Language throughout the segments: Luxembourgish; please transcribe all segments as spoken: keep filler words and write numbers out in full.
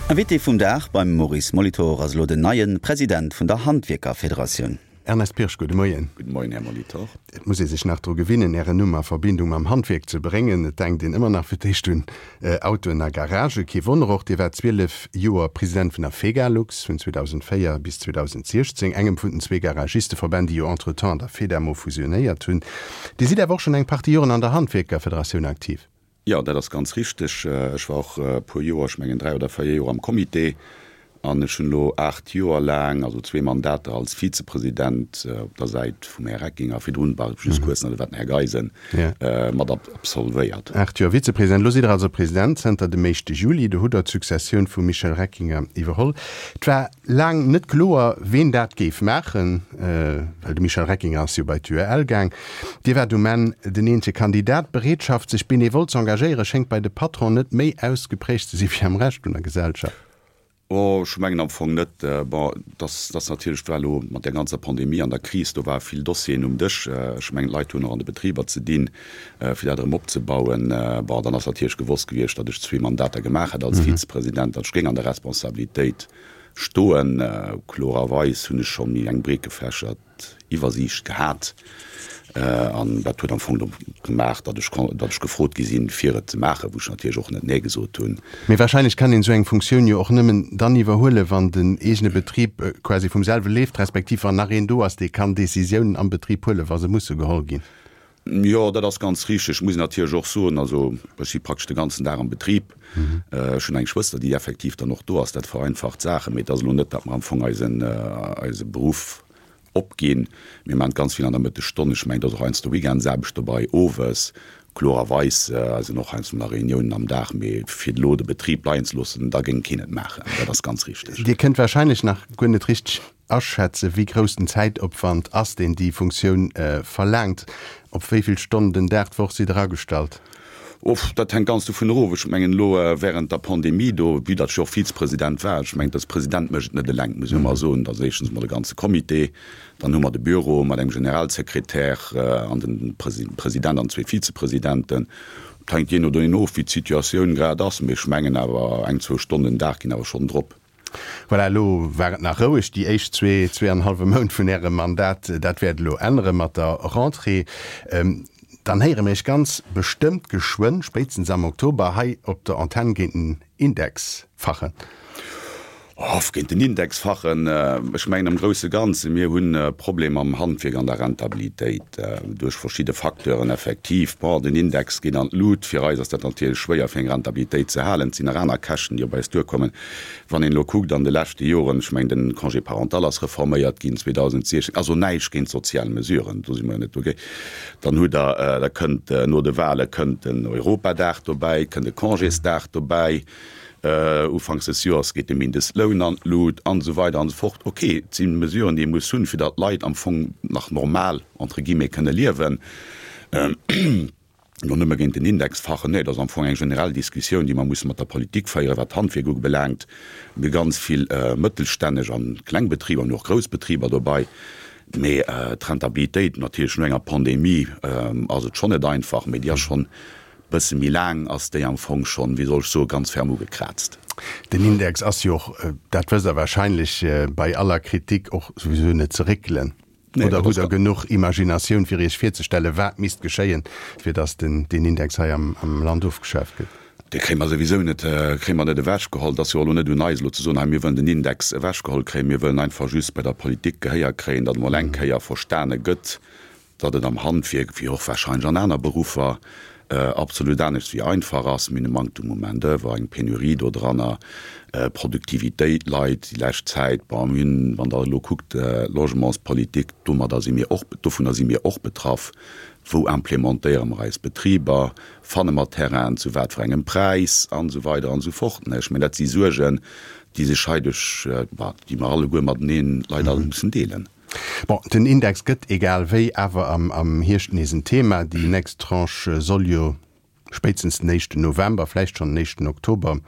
Invité vum Dag beim Maurice Molitor ass elo den neie President vun der Handwierkerfederatioun. Ernest Pirsch, gudde Moien. Gudde Moien, Här Molitor. Et muss ee sech nach dru gewinnen, Ären Numm a Verbindung mam Handwierk ze bréngen. Et denkt een ëmmer nach fir d'éischt un Autoen a Garagen. Kee Wonner och, Dir waart zwielef Joer President vun der Fegalux, vun zweedausendvéier bis zweedausendsiechzéng, engem vun den zwee Garagisteverbänn, déi jo entretemps an der Fedamo fusionéiert hunn. Dir sidd awer och schonn eng Partie Joren an der Handwierkerfederatioun aktiv. Jo, dat ass ganz richteg. Ech war och e puer Joer, ech mengen dräi oder véier Joer am Comité an ech hunn elo aacht Joer laang, also zwee Mandater als Vizepresident op der Säit vum Här Reckinger, virdrun war ech just kuerz nach, do war den Här Geisen, mat absolvéiert. Aacht Joer Vizepresident, elo sidd Der also President zënter dem éischte Juli. Do hutt Der d'Successioun vum Michel Reckinger iwwerholl. Et war laang net kloer, ween dat géif maachen, well de Michel Reckinger ass jo bei d'UEL gaang. Dir waart um Enn den eenzege Kandidat. D'Bereetschaft, sech benevol z'engagéieren, schéngt bei de Patronen net méi ausgeprägt ze si wéi am Rescht vun der Gesellschaft. Oh, ech mengen am Fong net. Bon, dass dass natierlech war elo mat där ganzer Pandemie an der Kris, do ware vill Dossieren um Dësch. Ech mengen, d'Leit hunn och an de Betriber ze dinn, fir dat erëm opzebauen. Bon, dann ass natierlech gewosst gewiescht, datt ech zwee Mandater gemaach hätt als Vizepresident, datt ech géing an der Responsabilitéit stoen. Klorerweis hunn ech scho méi eng breetgefächert Iwwersiicht gehat an dat huet am Fong do gemaach, datt ech datt ech gefrot gi sinn, fir et ze maachen, wou ech natierlech och net Nee gesot hunn. Mee wahrscheinlech kann een esou eng Funktioun jo och nëmmen dann iwwerhuelen, wann den eegene Betrib quasi vum selwe leeft, respektiv wann nach een do ass, dee kann Decisiounen am Betrib huelen, wa se musse geholl ginn. Jo, dat ass ganz richteg. Muss een natierlech och soen, also ech si praktesch de ganzen Dag am Betrib. Ech hunn eng Schwëster, déi effektiv dann och do ass. Dat vereinfacht d'Saachen. Mee et ass elo net, datt mer am Fong eisen, eise Beruff opginn. Mir maachen ganz vill an der Mëttesstonn. Ech mengen, et ass och heiansdo Weekendsaarbecht dobei, owes. Klorerweis sinn och heiansdo nach Reuniounen am Dag. Mee fir elo de Betrib leien ze loossen, da géing keen et maachen. Dat ass ganz richteg. Dir kënnt wahrscheinlech nach guer net richteg aschätzen, wéi grouss den Zäitopwand ass, deen déi Funktioun verlaangt. Op wéi vill Stonnen den Dag d'Woch sidd Der agestallt? Uff, dat hänkt ganz dovun erof. Ech mengen elo während der Pandemie do, vue datt ech jo och Vizepresident war, ech mengen, de President mécht et net eleng, muss ech ëmmer soen, dat ass éischtens emol de ganze Comité, dann hu mer de Büro mat engem Generalsekretär an den President an zwee Vizepresidenten. Et hänkt jee no deenen of, wéi d'Situatioun grad ass, mee ech mengen awer eng, zwou Stonnen den Dag ginn awer schonn drop. Voilà, elo war et nach roueg déi éischt zwee, zwee an e hallwe Mount vun Ärem Mandat. Dat wäert elo ännere mat der Rentrée. Dann héiere mir Iech ganz bestëmmt geschwënn, spéitstens am Oktober, hei op der Antenn géint den Index fachen. Off, géint den Index fachen. Ech mengen am grousse Ganze, mir hunn e Problem am Handwierk an der Rentabilitéit duerch verschidde Facteuren effektiv. Bon, den Index geet an d'Lut. Fir eis ass dat natierlech schwéier, fir eng Rentabilitéit ze halen. Et sinn nach aner Käschten, déi op eis duerkommen. Wann een elo kuckt an de leschte Joren, ech mengen de Congé parental ass reforméiert ginn zweedausendsiechzehn, also näischt géint sozial Mesuren, do si mer jo net dogéint, dann hutt Der, da kënnt no de Wahle kënnt den Europadag dobäi, kënnt e Congésdag dobäi, Ufanks des Joers geet de Mindestloun an d'Lut an esou weider an esou fort. Ok, et si Mesuren, déi ee muss hunn, fir datt d'Leit am Fong nach normal, entre guillemets, kënne liewen. Elo nëmme géint den Index fachen, nee, et ass am Fong eng generell Diskussioun, déi mer musse mat der Politik féieren, wat d'Handwierk ubelaangt. Mir hu ganz vill mëttelstänneg an kleng Betriber, mir hunn och grouss Betriber dobei, mee d'Rentabilitéit, natierlech no enger Pandemie ass et schonn net einfach, mee déi ass schonn Bësse méi laang ass déi am Fong schonn, wéi soll ech soen, ganz ferm ugekraazt. Den Index ass jo och, dat wësst Der wahrscheinlech, bei aller Kritik och souwisou net ze réckelen. Oder hutt Der genuch Imaginatioun, fir Iech virzestellen, wat misst geschéien, fir datt deen Index hei am Land ofgeschaaft gëtt? Dee kréie mer souwisou net, kréie mer net ewechgeholl. Et ass jo och elo net un eis, elo ze soen, hei mir wëllen den Index ewechgeholl kréien. Mir wëllen einfach just bei der Politik Gehéier kréien, datt emol eng Kéier verstane gëtt, datt et am Handwierk, wéi och wahrscheinlech an aner Beruffer, absolut anescht wéi einfach ass. Mir hunn e Manktum u Main d'oeuvre, eng Penurie dodranner, Produktivitéit leit déi lescht Zäit. Bon, mir hunn, wann Der elo kuckt, Logementspolitik, domadder si mir och, dovunner si mir och betraff. Wou implémentéiere mer eis Betriber? Fanne mer Terrainen, zu wat fir engem Präis? An esou weider an esou fort. Ech mengen, dat si Suergen, déi sech hei duerch, déi mer alleguer mateneen leider mussen deelen. Bon, den Index gëtt egal wéi awer am Hierscht nees en Thema. Déi nächst Tranche soll jo spéitstens den éischten November, vläicht schonn den éischten Oktober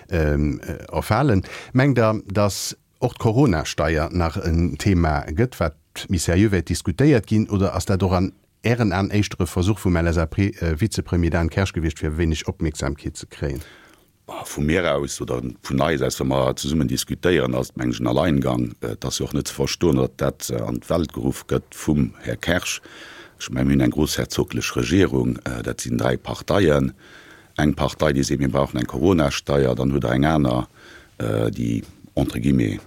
erfalen. Mengt Der, datt och d'Corona-Steier nach en Thema gëtt, wat méi seriö wäert diskutéiert ginn, oder ass dat och an Ären Aen éischter e Versuch vum L S A P-Vizepremier Dan Kersch gewiescht, fir e wéineg Opmierksamkeet ze kréien? Vu mir aus oder vun eis aus, wa mer zesummen diskutéieren, ass et, mengen ech, en Alleingang. Et ass jo och net ze verstoen, datt dat an d'Welt geruff gëtt vum Här Kersch. Ech mengen, mir hunn eng groussherzoglech Regierung, dat sinn dräi Parteien. Eng Partei, déi seet, mir brauchen eng Coronasteier, dann hutt Der eng aner, déi entre guillemets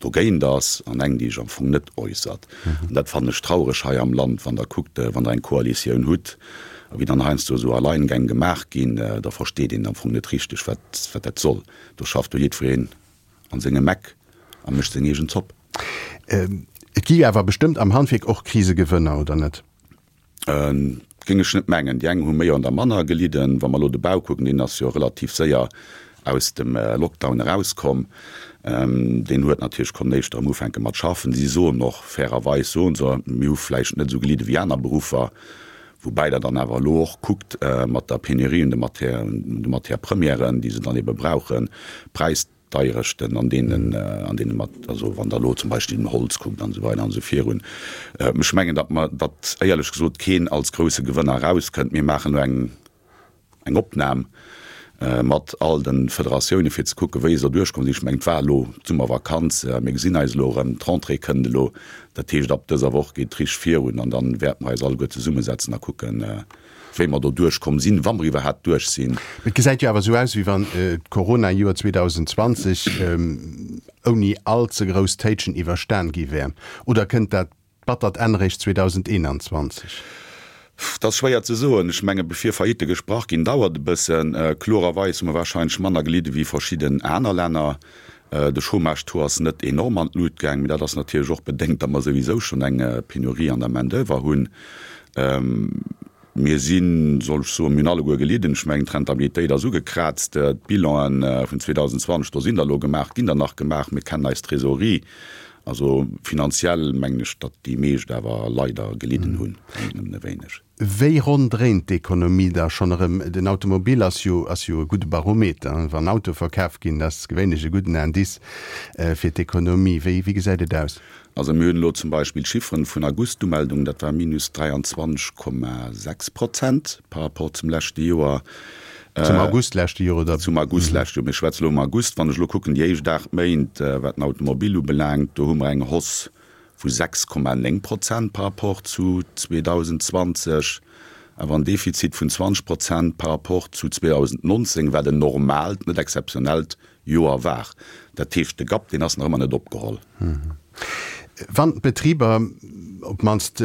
dogéint ass, an eng, déi sech am Fong net äussert. An dat fannen ech traureg hei am Land, wann Der kuckt, wann Der eng Koalitioun hutt, a wéi dann heiansdo esou Alleingäng gemaach ginn, da versteet een am Fong net richteg, wat, wat dat soll. Do schafft do jiddwereen an sengem Eck a mécht seng eegen Zopp. Et gi awer bestëmmt am Handwierk och Krisegewënner, oder net? Géing ech net mengen. Déi eng hu méi an der manner gelidden. Wa mer elo de Bau kucken, deen ass jo relativ séier aus dem Lockdown erauskomm. Deen huet natierlech konnt éischter erëm ufänke mat schaffen. Si soen och, fairerweis soen se, mir hu vläicht net esou gelidde wéi aner Beruffer. Woubäi Der dann awer elo och kuckt mat der Penurie un de Matière, un de Matière-premièren, déi se dann ebe brauchen, d'Präisdeierechten an deenen, an deene mat, also wann Der elo zum Beispill den Holz kuckt an esou weider an esou virun. Ech mengen, datt mer, datt éierlech gesot keen als grousse Gewënner erauskënnt. Mir maachen elo eng, eng Opnam mat all de Federatioune fir ze kucken, wéi se derduerch komm sinn. Ech mengen, et war elo d'Summervakanz, mir gesinn eis elo erëm, d'Rentrée kënnt elo. Dat heescht, ab dëser Woch geet et richteg virun an da wäerte mer eis alleguer zesummesetzen a kucken, wéi mer doduerch komm sinn, wa mer iwwerhaapt duerch sinn. Et gesäit jo awer esou aus, wéi wann d'Corona-Joer zweedausenzwanzeg ouni all ze grouss Téitschen iwwerstan gi wär. Oder kënnt dat battert Enn réischt zweedausendeenanzwanzeg? Dat ass schwéier ze soen. Ech mengen, bevir Faillite gesprach ginn, dauert e bëssen. Klorerweis hu mer warscheinlech manner gelidde wéi verschidden aner Länner. De Chômage-Taux ass net enorm an d'Lut gaang, mee dat ass natierlech och bedéngt, datt mer souwisou schonn eng Penurie an der Main-d'oeuvre hunn. Mir sinn, soll ech soen, mir hunn alleguer gelidden. Ech mengen, d'Rentabilitéit ass ugekraazt. D'Bilanen vun zweedausendzwanzeg, do sinn der elo gemaach, ginn der nach gemaach. Mir kennen eis Trésorerie. Also finanziell mengen ech, datt déi meescht awer leider gelidden hunn, wann net nëmmen e wéineg. Wéi ronn dréint d'Ekonomie da schonn erëm? Den Automobil ass jo ass jo e gudde Barometer. Wann Autoe verkaf ginn, dat ass gewéinlech e gudden Indice fir d'Ekonomie. Wéi wéi gesäit et aus? Also mir hunn elo zum Beispill d'Chifferen vun August, d'Umeldung, dat war minus dräianzwanzeg Komma sechs Prozent par rapport zum leschte Joer. Zum August leschte Joer, oder? Zum August leschte Joer. Mir schwätzen elo um August. Wann ech elo kucken, déi éischt aacht Méint, wat den Automobil ubelaangt, do hu mer eng Hausse vu sechs Komma néng Prozent par rapport zu zweedausendzwanzeg, awer en Defizit vun zwanzeg Prozent par rapport zu zweedausendnonzéng, wat en normaalt, net exzeptionellt Joer war. Dat heescht, de Gap, deen ass nach ëmmer net opgeholl. Wann d'Betriber, op d'mannst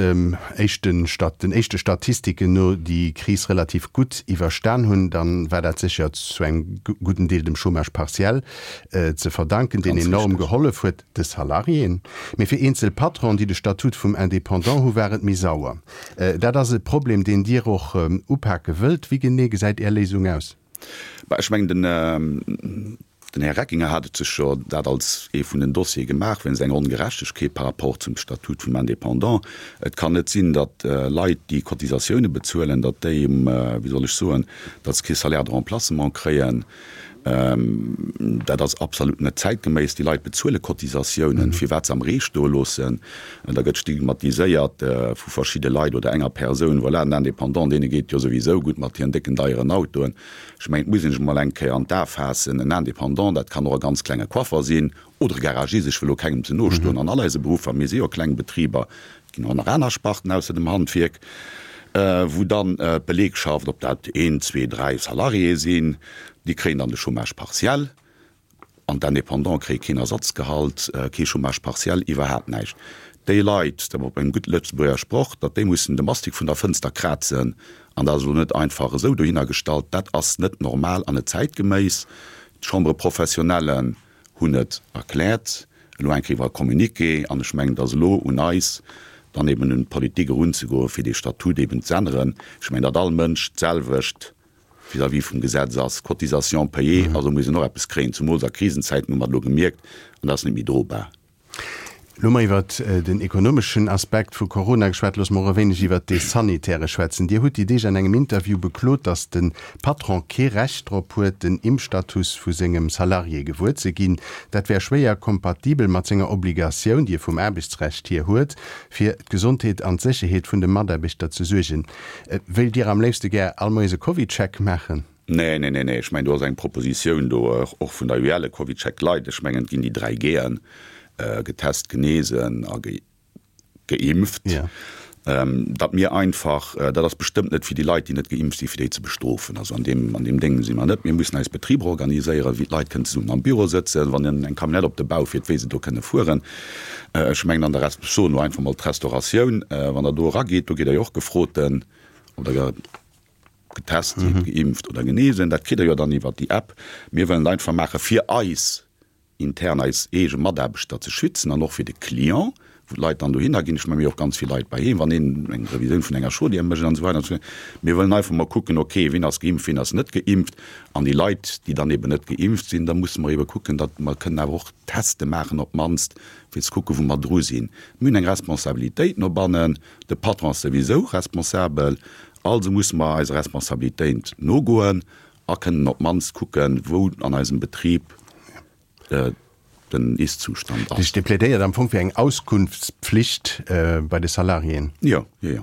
éischten den éischte Statistiken no, déi Kris relativ gutt iwwerstan hunn, da war dat sécher zu engem gudden Deel dem Chômage partiel ze verdanken, deen enorm gehollef huet de Salariéen. Mee fir eenzel Patronen, déi de Statut vum Indépendant hu, war et méi sauer. Dat ass e Problem, deen Dir och upake wëllt. Wéi genee gesäit Är Léisung aus? Bah, ech mengen, den Den Här Reckinger hat et sech jo dat als ee vun den Dossiere gemaach, wéinst enger Ongerechtegkeet par rapport zum Statut vum Indépendant. Et kann net sinn, datt Leit, déi Cotisatioune bezuelen, datt déi, wéi soll ech soen, datt se kee Salaire de remplacement kréien. Dat ass absolut net zäitgeméiss. Déi Leit bezuele Cotisatiounen, firwat se am Ree stoe loossen? Da gëtt stigmatiséiert vu verschidde Leit oder enger Persoun, voilà, den Indépendant, deene geet et jo souwisou gutt mat hiren décken, deieren Autoen. Ech mengen, et muss een sech emol eng Kéier an d'A faassen, en Indépendant, dat kann och e ganz klenge Coiffer sinn oder e Garagist, ech wëll elo kengem ze no stoen, an all eise Beruffer, mir si jo kleng Betriber, et ginn och nach aner Sparten ausser dem Handwierk, wou dann d'Belegschaft, ob dat een, zwee, dräi Salariéë sinn, déi kréien dann de Chômage partiel. An d'Indépendants kréie keen Ersatzgehalt, kee Chômage partiel, iwwerhaapt näischt. Déi Leit, dat op engem gutt Lëtzebuerger Sproch, datt déi mussen de Mastik vun der Fënster krazen, an dat ass elo net einfach esou dohinner gestallt, dat ass net normal an net zäitgeméiss. D'Chambres professionnelles hunn et erkläert, elo eng Kéier iwwer e Communiqué, an ech mengen, et ass elo un eis, dann eben un d'Politik erunzegoen, fir dee Statut eben z'änneren. Ech mengen, datt all Mënsch d'selwecht vis-à-vis vum Gesetz ass, Cotisation payée, also muss een och eppes kréien, zumools a Krisenzäiten hu mer et elo gemierkt, an dat ass net méi drobar. Elo hu mer iwwert den ekonomeschen Aspekt vu Corona geschwat, loosse mer och e wéineg iwwert dee sanitäre schwätzen. Dir hutt déi Deeg an engem Interview beklot, datt de Patron kee Recht drop huet, den Impfstatus vu sengem Salarié gewuer ze ginn. Dat wär schwéier kompatibel mat senger Obligatioun, déi e vum Aarbechtsrecht hier huet, fir d'Gesondheet an d'Sécherheet vun de Mataarbechter ze suergen. Wéilt Dir am léifste gär all Moies e Covidcheck maachen? Nee, nee, nee, nee. Ech mengen, do ass eng Propositioun do, och vun der U E L, e CovidCheck Light. Ech mengen, et ginn déi dräi G'en, getest, genesen a geimpft. Datt mir einfach, dat ass bestëmmt net fir déi Leit, déi net geimpft sinn, fir déi ze bestrofen. Also an deem, an deem Déng si mer net. Mir mussen eis Betriber organiséieren, wéi d'Leit kënnen zesummen am Büro sëtzen, wann eng Camionnette op de Bau fiert, wéi se do kënne fueren. Ech mengen an der Rest, ech soen elo einfach mol d'Restauratioun, wann Der do erageet, do gitt Der jo och gefroten, ob Der getest sidd, geimpft oder genesen. Dat kritt Der jo dann iwwert déi App. Mir wëllen et einfach maache fir eis intern, eis eege Mataarbechter ze schützen an och fir de Client, wou d'Leit dann dohinner ginn. Ech menge mir hu och ganz vill Leit bei heem, wann een eng Revisioun vun enger Chaudière mécht an esou weider an esou fort. Mir wëllen einfach mol kucken, okay, wien ass geimpft, wien ass net geimpft. An déi Leit, déi dann eben net geimpft sinn, da musse mer ebe kucken, datt mer kënnen awer och Teste maachen op d'mannst, fir ze kucken, wou mer dru sinn. Mir hunn eng Responsabilitéit no bannen, de Patron ass souwisou responsabel, also musse mer eiser Responsabilitéit nogoen a kënnen op d'mannst kucken, wou an eisem Betrib den Ist-Zustand ass. Dir plädéiert am Fong fir eng Auskunftspflicht bei de Salariéen? Jo, jo, jo.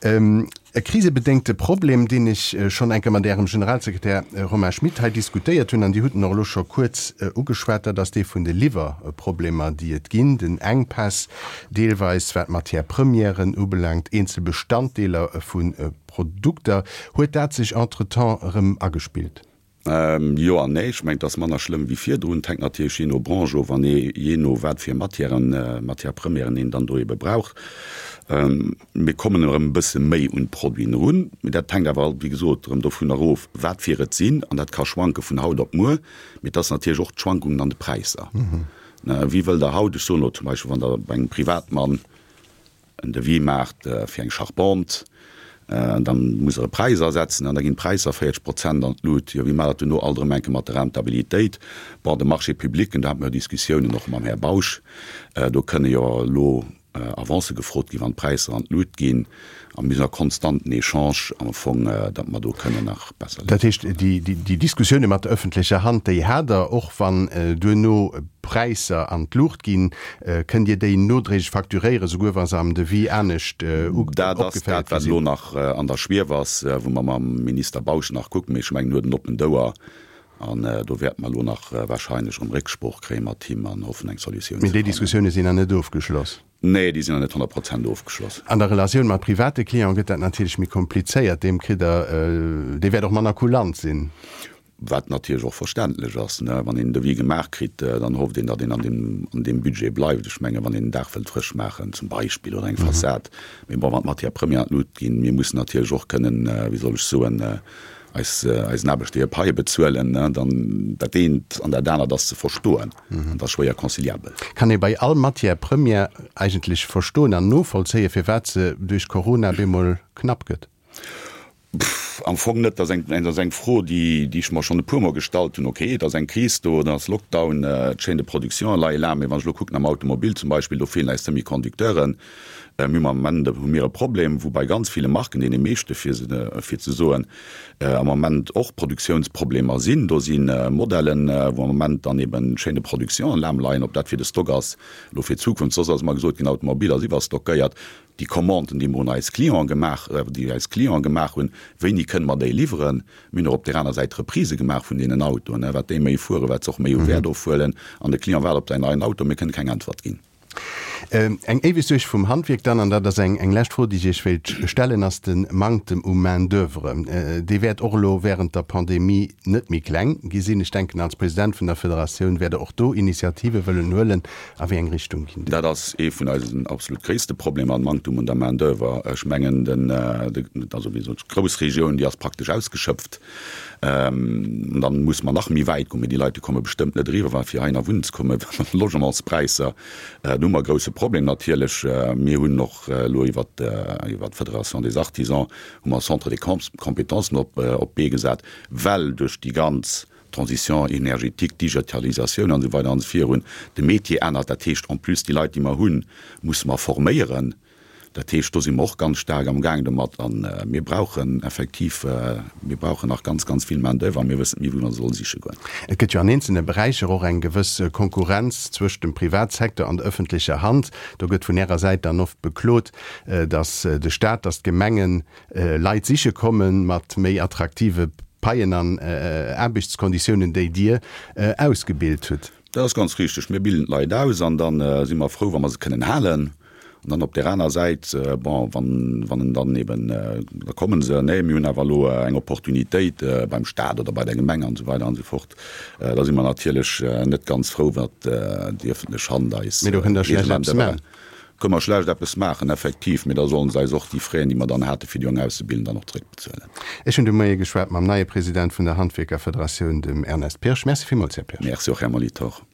E krisebedéngte Problem, deen ech schonn eng Kéier mat Ärem Generalsekretär Romain Schmit hei diskutéiert hunn, an Dir hutt en och elo scho kuerz ugeschwat, dat ass dee vun de Liwwerproblemer, déi et ginn, den Enkpäss deelweis, wat Matière-premièren ubelaangt, eenzel Bestanddeeler vu Produkter. Huet dat sech entretemps erëm agespillt? Jo an nee. Ech mengen, et ass manner schlëmm wéi virdrun. Et hänkt natierlech jee no Branche of an jee no wat fir Matièren, Matière-premièren een dann do ebe brauch. Mir kommen erëm e bësse méi un d'Produiten erun. Mee dat hänkt awer, wéi gesot, erëm dovun erof, wat fir et sinn. An dat ka schwanke vun haut op muer. Mee et ass natierlech och d'Schwankungen an de Präisser. Wie wëll der haut, ech soen elo zum Beispill, wann Der bei engem Privatmann en Devis maacht fir eng Charpente, dann muss Der e Präis asetzen an da ginn d'Präisser véierzeg Prozent an d'Lut. Jo, wéi maacht Der dat duerno alt erëm eng Kéier mat der Rentabilitéit? Bon, de Marché public, do hate mer jo Diskussiounen och mam Här Bausch, do kënne jo elo Avancë gefrot ginn, wann d'Präisser an d'Lut ginn. A mir sinn a konstanten Echange am Fong, datt mer do kënnen nach besser Dat heescht, déi Diskussioune mat der ëffentlecher Hand, déi hat Der, och wann duerno Präisser an d'Luucht ginn, kënnt Dir déi nodréiglech facturéieren, souguer wa se am Devis anescht Dat ass opgeféiert dat, gi wat elo sinn? nach an der Schwief ass, wou mer mam Minister Bausch nach kucken. Mee ech mengen, en huet en oppent Ouer an do wäerte mer elo nach wahrscheinlech erëm Récksprooch kréie mat him an hoffen, eng Solutioun Mee ze déi fannen. Diskussioune sinn nach net ofgeschloss? Nee, déi sinn nach net honnert Prozent ofgeschloss. An der Relatioun mat private Cliente gëtt dat natierlech méi komplizéiert. Deem kritt Der, dee wäert och manner kulant sinn. Wat natierlech och verständlech ass, ne. Wann een en Devis gemaach kritt, dann hofft een, datt een an deem, an deem Budget bleift. Ech mengen, wann een en Daach wëllt frësch maachen zum Beispill oder eng Fassad. Mee bon, wann d'Matières premières an d'Lut ginn, mir mussen natierlech och kënnen, wéi soll ech soen, eis, eisen Aarbechter hir Paie bezuelen, ne, dann dat eent an dat anert ass ze verstoen an ass schwéier conciliabel. Kann ee bei all Matière première eigentlech verstoen an novollzéien, firwat se duerch Corona bemol knapp gëtt? Am Fong net. Dat ass eng Fro, déi ech mer schonn e puermol gestallt hunn. Okay, et ass eng Kris do, et ass Lockdown, d'Chaîne de production leie lahm. Mee wann ech elo kucken am Automobil zum Beispill, do feelen eis Semi-Conducteuren. Mir hunn am Moment hu mir e Problem, wou bei ganz ville Marken, deene meeschte fir fir ze soen, am Moment och Produktiounsproblemer sinn. Do si Modellen, wou am Moment dann eben d'Chaîne de production lahm leien. Ob dat fir de Stock ass elo fir d'Zukunft, soss ass ëmmer gesot ginn, Automobil ass iwwerstockéiert. Déi Commanden, déi mer un eis Clienten gemaach, déi eis Clienten gemaach hunn, wéini kënne mer déi liwweren? Mir hunn och op där aner Säit Reprisë gemaach vun deenen Autoen, wat déi méi fueren, wat se och méi u Wäert ofhuelen. An de Client waart op säin neien Auto, mir kënne keng Äntwert ginn. Eng éiweg Suerg vum Handwierk dann, an dat ass eng eng lescht Fro, déi ech Iech wéilt stellen, ass de Manktem u Main-d'oeuvre. Dee wäert och elo während der Pandemie net méi kleng gi sinn. Ech denken, als President vun der Federatioun wäert Der och do Initiative wëllen huelen. A wéi eng Richtung ginn déi? Dat ass ee vun eisen absolut gréisste Problemer, den Manktum un der Main-d'oeuvre. Ech mengen, den, also wéi gesot, d'Groussregioun, déi ass praktesch ausgeschöpft. An dann musse mer nach méi wäit goen, mee déi Leit, déi komme bestëmmt net eriwwer, well fir heihinner wunnen ze kommen, Logementspräisser, do hu mer e grousse Problem natierlech. Mir hunn och elo iwwert, iwwert d'Fédération des Artisans hu mer e Centre de compétences op, op d'Bee gesat, well duerch déi ganz Transition énergétique, Digitalisatioun an esou weider an esou virun, de Métier ännert. Dat heescht en plus déi Leit, déi mer hunn, musse mer forméieren. Dat heescht, do si mer och ganz staark am Gaang domat. A mir brauchen effektiv, mir brauchen nach ganz, ganz vill Main d'oeuvre a mir wëssen net méi, wou mer se solle siche goen. Et gëtt jo an eenzelne Beräicher och eng gewëss Konkurrenz zwëscht dem Privatsecteur an der ëffentlecher Hand. Do gëtt vun Ärer Säit dann oft beklot, datt de Stat, datt d'Gemengen Leit siche komme mat méi attraktive Paien an Aarbechtskonditiounen, déi Dir ausgebilt hutt. Dat ass ganz richteg. Mir bilden d'Leit aus an da si mer frou, wa mer se kënnen halen. An dann op där aner Säit, bon, wann, wann en dann eben, da komme se, nee, mir hunn awer elo eng Opportunitéit beim Stat oder bei der Gemeng an esou weider an esou fort, da si mer natierlech net ganz frou, wat déi öffentlech Hand eis. Mee do kënnt Der schlecht eppes maachen. Kënne mer schlecht eppes maachen, effektiv, mee da sollen se eis och déi Fräen, déi mer dann hate fir déi Jong auszebilden, dann och zréckbezuelen. Ech hunn de Moie geschwat mam neie President vun der Handwierkerfederatioun, dem Ernest Pirsch. Merci villmools, Här Pirsch. Merci och, Här Molitor.